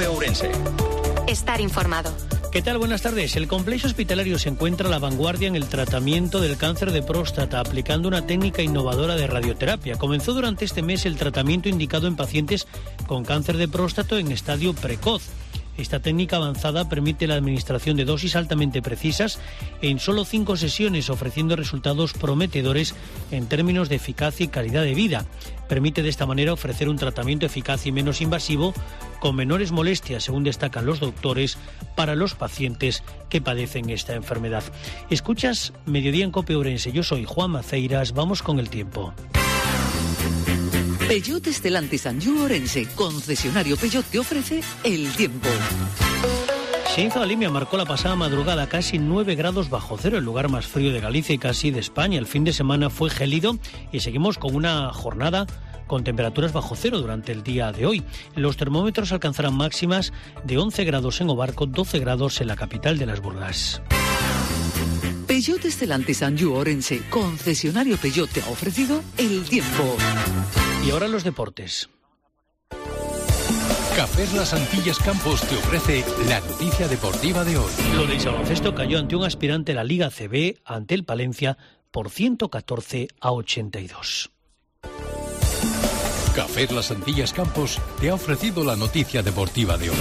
COPE Ourense. Estar informado. ¿Qué tal? Buenas tardes. El complejo hospitalario se encuentra a la vanguardia en el tratamiento del cáncer de próstata, aplicando una técnica innovadora de radioterapia. Comenzó durante este mes el tratamiento indicado en pacientes con cáncer de próstata en estadio precoz. Esta técnica avanzada permite la administración de dosis altamente precisas en solo 5 sesiones, ofreciendo resultados prometedores en términos de eficacia y calidad de vida. Permite de esta manera ofrecer un tratamiento eficaz y menos invasivo, con menores molestias, según destacan los doctores, para los pacientes que padecen esta enfermedad. Escuchas Mediodía en COPE Ourense. Yo soy Juan Maceiras. Vamos con el tiempo. Peugeot Stellantis Anjou Ourense, concesionario Peugeot, te ofrece el tiempo. Xeinzo da Limia marcó la pasada madrugada casi 9 grados bajo cero, el lugar más frío de Galicia y casi de España. El fin de semana fue gélido y seguimos con una jornada con temperaturas bajo cero durante el día de hoy. Los termómetros alcanzarán máximas de 11 grados en Obarco, 12 grados en la capital de las Burgas. Peugeot Stellantis Anjou Ourense, concesionario Peugeot, te ha ofrecido el tiempo. Y ahora los deportes. Cafés Las Antillas Campos te ofrece la noticia deportiva de hoy. Lo del baloncesto cayó ante un aspirante a la Liga CB, ante el Palencia, por 114-82. Cafés Las Antillas Campos te ha ofrecido la noticia deportiva de hoy.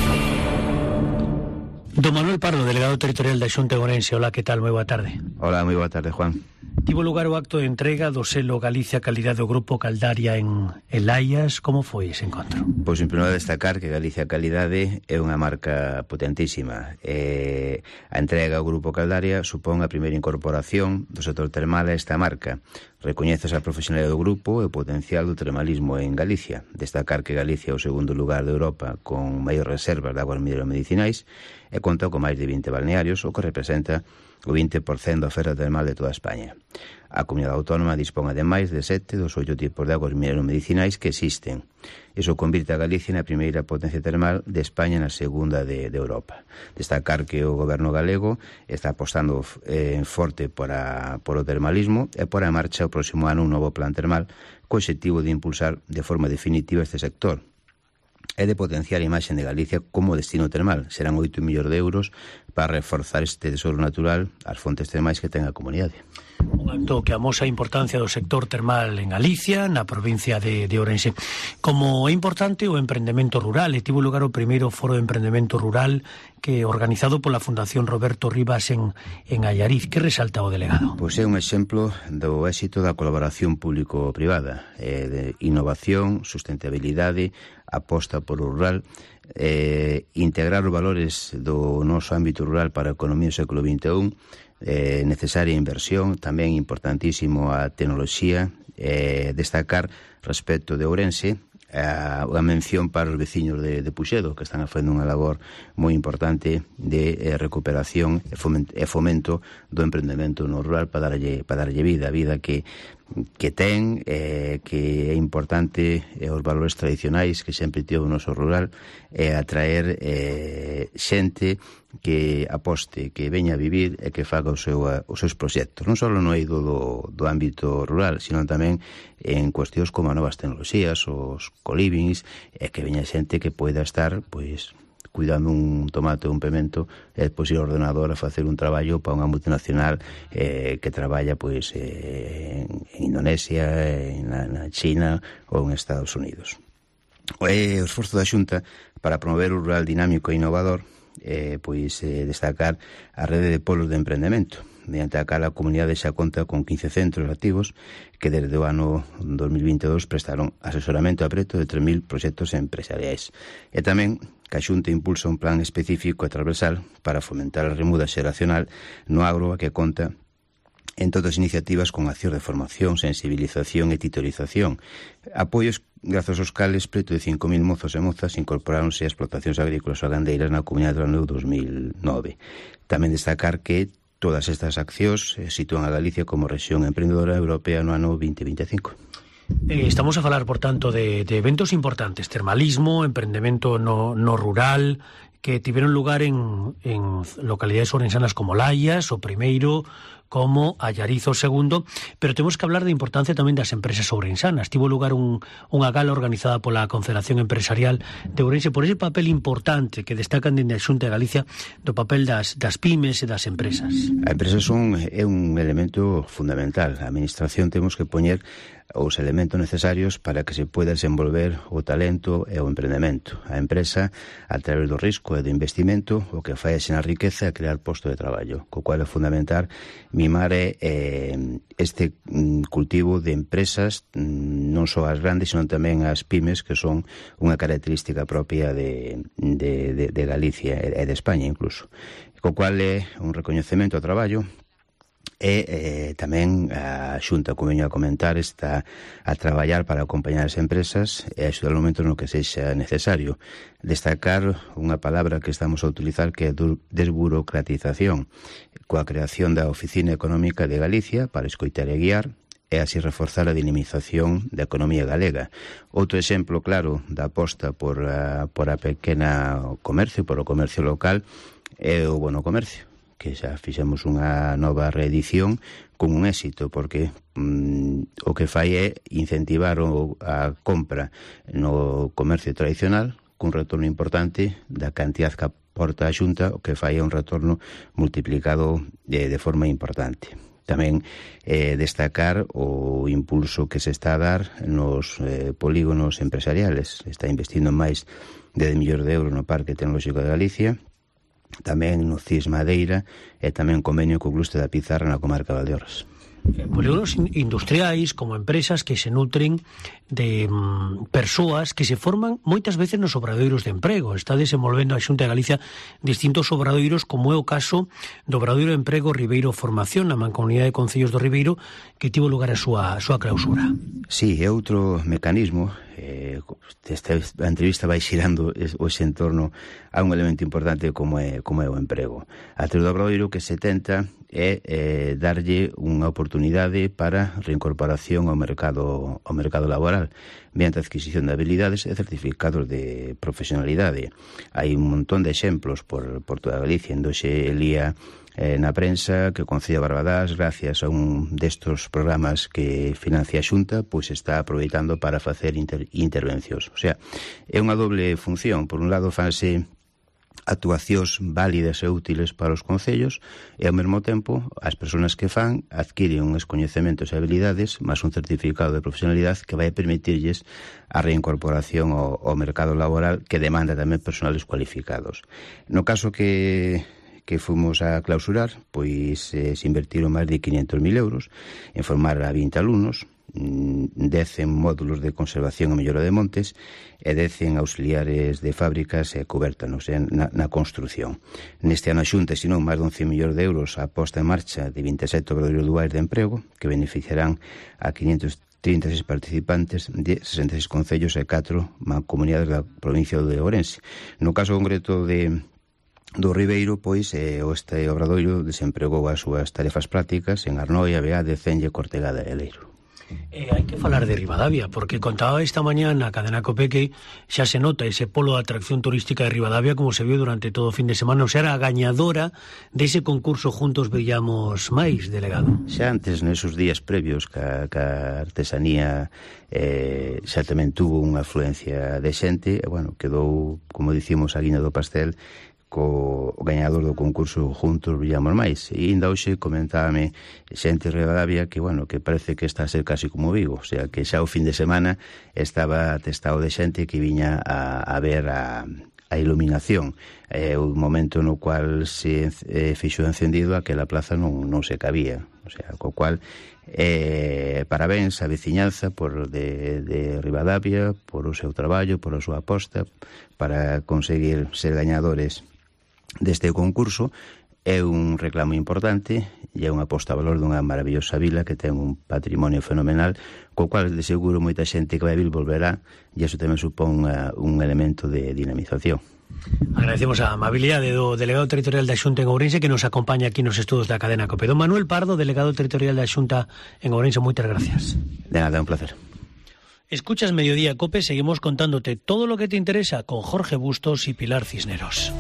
Don Manuel Pardo, delegado territorial da Xunta de Ourense. Hola, ¿qué tal? Moi boa tarde. Hola, moi boa tarde, Juan. Tivo lugar o acto de entrega do selo Galicia Calidad do Grupo Caldaria en Laias. Como foi ese encontro? Pois, en primeiro, destacar que Galicia Calidade é unha marca potentísima. A entrega ao Grupo Caldaria supón a primeira incorporación do sector termal a esta marca. Recoñeces a profesionalidade do grupo e o potencial do termalismo en Galicia. Destacar que Galicia é o segundo lugar de Europa con maior reservas de aguas mineromedicinais e conta con máis de 20 balnearios, o que representa o 20% da oferta termal de toda España. A comunidade autónoma dispón ademais de 7 dos 8 tipos de aguas mineromedicinais que existen. Iso convirte a Galicia na primeira potencia termal de España e na segunda de Europa. Destacar que o goberno galego está apostando forte por o termalismo e por a marcha o próximo ano un novo plan termal co obxectivo de impulsar de forma definitiva este sector e de potenciar a imaxe de Galicia como destino termal. Serán 8 millóns de euros para reforzar este tesoro natural, as fontes termais que ten a comunidade. Un acto que amosa a importancia do sector termal en Galicia, na provincia de Ourense. Como é importante o emprendemento rural, e tivo lugar o primeiro foro de emprendemento rural que organizado pola Fundación Roberto Rivas en Allariz. Que resalta o delegado? Pois é un exemplo do éxito da colaboración público-privada, de innovación, sustentabilidade, aposta por o rural, integrar os valores do noso ámbito rural para a economía do século XXI, necesaria inversión, tamén importantísimo a tecnoloxía, destacar respecto de Ourense a mención para os veciños de Puxedo, que están facendo unha labor moi importante de recuperación e fomento do emprendemento no rural para darlle vida que ten, que é importante os valores tradicionais que sempre tivo o noso rural, atraer xente que aposte, que veña a vivir e que faga os seus proxectos, non só no eido do ámbito rural, sino tamén en cuestións como as novas tecnoloxías, os colivings, e que veña xente que poida estar, pois, cuidando un tomate ou un pemento e depois ir ao ordenador a facer un traballo para unha multinacional que traballa pois en Indonesia, na China ou en Estados Unidos. O esforzo da Xunta para promover o rural dinámico e innovador, pois destacar a rede de polos de emprendemento, mediante a cal a comunidade xa conta con 15 centros activos que desde o ano 2022 prestaron asesoramento a preto de 3.000 proxectos empresariais. E tamén que a Xunta impulsa un plan específico e transversal para fomentar a remuda xeracional no agro, que conta en todas as iniciativas con accións de formación, sensibilización e titorización. Apoios grazos aos cales preto de 5.000 mozos e mozas incorporáronse a explotacións agrícolas ou gandeiras na comunidade do ano 2009. Tamén destacar que todas estas accións sitúan a Galicia como rexión emprendedora europea no ano 2025. Estamos a falar, por tanto, de eventos importantes, termalismo, emprendemento no rural, que tiveron lugar en localidades ourensanas como Laias, o primeiro como Allarizo II, pero temos que hablar da importancia tamén das empresas ourensanas. Tivo lugar unha gala organizada pola Confederación Empresarial de Ourense por ese papel importante que destacan dende a Xunta de Galicia do papel das pymes e das empresas. A empresa é un elemento fundamental. A administración temos que poñer os elementos necesarios para que se poida desenvolver o talento e o emprendemento. A empresa, a través do risco e do investimento, o que fai é xerar riqueza e crear posto de traballo, co cual é fundamental mimar este cultivo de empresas, non só as grandes, senón tamén as pymes, que son unha característica propia de Galicia e de España incluso, co cual é un recoñecemento ao traballo. E tamén a Xunta, como veño a comentar, está a traballar para acompañar as empresas e axudar no momento no que sexa necesario. Destacar unha palabra que estamos a utilizar, que é desburocratización, coa creación da Oficina Económica de Galicia para escoitar e guiar, e así reforzar a dinamización da economía galega. Outro exemplo claro da aposta por a pequena comercio, por o comercio local, é o bono comercio, que xa fixemos unha nova reedición con un éxito, porque o que fai é incentivar a compra no comercio tradicional cun retorno importante da cantidad que aporta a Xunta, o que fai é un retorno multiplicado de forma importante. Tamén destacar o impulso que se está a dar nos polígonos empresariales. Está investindo máis de 10 millóns de euros no Parque Tecnolóxico de Galicia, tamén no CIS Madeira e tamén convenio co Clúster da Pizarra na comarca de Valdeorras. Polígonos industriais como empresas que se nutren de persoas que se forman moitas veces nos obradoiros de emprego. Está desenvolvendo a Xunta de Galicia distintos obradoiros, como é o caso do obradoiro de emprego Ribeiro Formación, na Mancomunidade de Concellos do Ribeiro, que tivo lugar a súa clausura. Sí, é outro mecanismo. Esta entrevista vai xirando hoxe en torno a un elemento importante como é o emprego. A través do obradoiro que se tenta é darlle unha oportunidade para reincorporación ao mercado laboral mediante a adquisición de habilidades e certificados de profesionalidade. Hai un montón de exemplos por toda Galicia. Endoxe lía na prensa que o Concello de Barbadás, gracias a un destos programas que financia a Xunta, pois está aproveitando para facer intervencións. O sea, é unha doble función. Por un lado, fanse actuacións válidas e útiles para os concellos e, ao mesmo tempo, as persoas que fan adquiren uns coñecementos e habilidades máis un certificado de profesionalidade que vai permitirlles a reincorporación ao mercado laboral, que demanda tamén personales cualificados. No caso que fomos a clausurar, pois se invertiron máis de 500.000 euros en formar a 20 alumnos, 10 en módulos de conservación e mellora de montes e 10 en auxiliares de fábricas e cubértanos na construción. Neste ano a Xunta destinou máis de 11 millóns de euros a posta en marcha de 27 obradoiros duais de emprego que beneficiarán a 536 participantes de 66 concellos e 4 mancomunidades da provincia de Ourense. No caso concreto do Ribeiro, pois este obradoiro desempregou as súas tarefas prácticas en Arnoia, Beade, Cenlle, Cortegada e Leiro. Hai que falar de Ribadavia, porque contaba esta mañá na cadena COPE que xa se nota ese polo de atracción turística de Ribadavia, como se viu durante todo o fin de semana. O sea, era a gañadora dese concurso Juntos Brillamos Máis, delegado. Xa antes, nesos días previos, que a artesanía xa tamén tuvo unha afluencia de xente, bueno, quedou, como dicimos, a guiña do pastel co gañador do concurso Juntos Brillamos Máis. E ainda hoxe comentábame xente de Ribadavia que, bueno, que parece que está a ser casi como Vigo, o sea, que xa o fin de semana estaba atestado de xente que viña a ver a iluminación. O momento no cual se fixo encendido aquela plaza non se cabía, o sea, co cual parabéns á veciñanza de Ribadavia por o seu traballo, por a súa aposta para conseguir ser gañadores deste concurso. É un reclamo importante e é unha aposta a valor dunha maravillosa vila que ten un patrimonio fenomenal, co cual de seguro moita xente que vai a vir volverá, e iso tamén supón un elemento de dinamización. Agradecemos a amabilidade do delegado territorial da Xunta en Ourense que nos acompaña aquí nos estudos da cadena COPE. Don Manuel Pardo, delegado territorial da Xunta en Ourense, moitas gracias. De nada, un placer. Escuchas Mediodía COPE, seguimos contándote todo lo que te interesa con Jorge Bustos y Pilar Cisneros.